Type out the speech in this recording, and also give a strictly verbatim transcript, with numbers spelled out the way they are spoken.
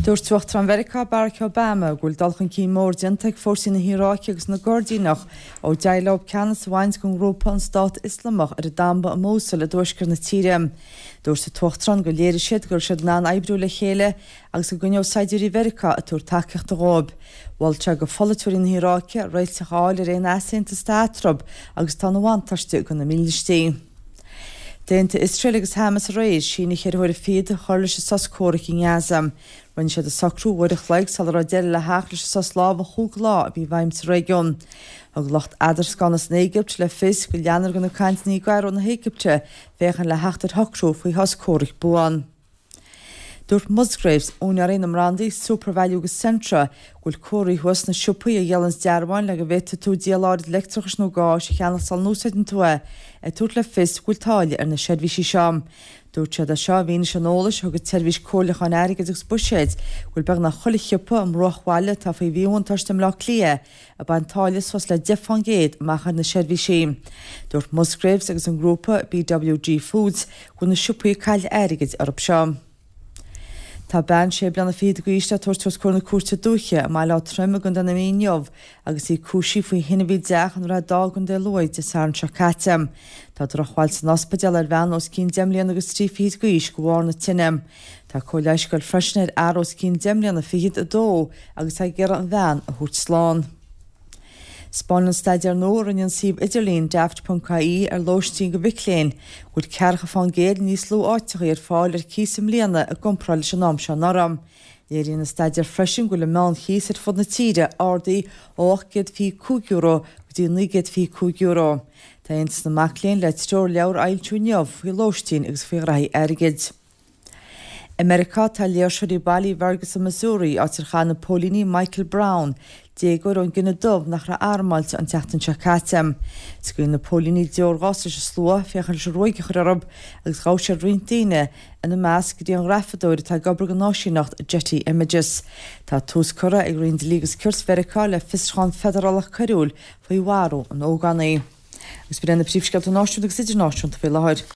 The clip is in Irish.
Dúirt Uachtarán Mheiriceá Barack Obama go bhfuil dul chun cinn mór déanta ag fórsaí na hIaráice agus na gCoirdíneach ó d'éirigh leo ceannas a bhaint den ghrúpa an Stát Ioslamach ar an damba i Mosul i dtuaisceart na tíre. Dúirt an tUachtarán gur léirigh siad go raibh siad in ann oibriú le chéile agus go gcoinneodh saighdiúirí Mheiriceá ag tabhairt tacaíochta dóibh. Mhol sé do pholaiteoirí na hIaráice réiteach a fháil ar aon easaontas atá eatarthu agus atá ina bhuntáiste do na mílístí. D'aontaigh Iosrael agus Hamas aréir síneadh ceithre huaire fichead a chur leis an sos comhraic i nGaza. Rinne siad an socrú uair a chloig sula raibh deireadh le theacht leis an sos lámhaigh chúig lá a bhí i bhfeidhm sa réigiún. Thug lucht eadarscána san Éigipt le fios go leanfar de na cainteanna i gCairo na hÉigipte féachaint le theacht ar shocrú faoi shos comhraic buan. Dúirt Musgraves, úinéirí na mbrandaí SuperValu agus Centra, go bhfuil comharthaí thuas sna siopaí a dhíolann dearbháin le go bhféadfaidh tú díol áirid leictreachais nó gáis a cheannach sula n-úsáideann tú é, ag tabhairt le fios go bhfuil táille ar na seirbhísí seo. Dúirt siad é seo i bhfianaise an eolais a thug an tseirbhís comhairliúcháin airgid agus buiséid go bhfuil beagnach chuile shiopa i mbruachbhaile atá faoi mhíbhuntáiste i mBaile Átha Cliath ag baint táille suas le deich faoin gcéad amach ar na seirbhísí. Dúirt Musgraves agus an grúpa BWG Foods go bhfuil na siopaí ag cailleadh airgid orthu seo. Tá bean sé bliana fichead d'aois le tabhairt os comhair na cúirte dúiche i mBaile Átha Troim i gContae na Mí inniu agus í cúisithe faoi thine a bhí i dteach i nDroichead Átha i gContae Lú Dé Sathairn seo caite. Tá drochbhail san ospidéal ar bhean os cionn deich mbliana agus trí fichid d'aois de bharr na tine. Tá cóir leighis ag goil freisin ar fhear os cionn deich mbliana fichead a dó agus tá ag iarraidh an bhean a thabhairt slán. 'Spáineann staidéar nua a rinne an suíomh idirlín daft.ie ar lóistín do mhic léinn go bhfuil ceathracha faoin gcéad níos lú áiteacha ar fáil ar cíos i mbliana i gcomparáid leis an am seo anuraidh. Léiríonn an staidéar freisin go bhfuil an meánchíos ar fud na tíre ardaithe ó ocht gcéad fiche cúig euro go dtí naoi gcéad fiche cúig euro. Tá Aontas na Mac Léinn le treoirleabhar a fhoilsiú inniu faoi lóistín agus faoi ghraithí airgid. I Meiriceá tá léirseoirí bailithe i Ferguson, Missouri, áit ar chaith na póilíní Michael Brown, déagóir ón gcine dubh nach raibh armáilte an tseachtain seo caite. Scaoil na póilíní deorghás leis an slua féachaint leis an ruaig a chur orthu agus ghabh siad roinnt daoine ina measc grianghrafadóir atá ag obair don áisíneacht Getty Images. Tá tús curtha ag Roinn Dlí agus Cirt Mheiriceá le fiosrúchán feidearálach coiriúil faoi mharú an ógánaigh. Agus b'in na príomhscéalta náisiúnta agus idirnáisiúnta faoi láthair.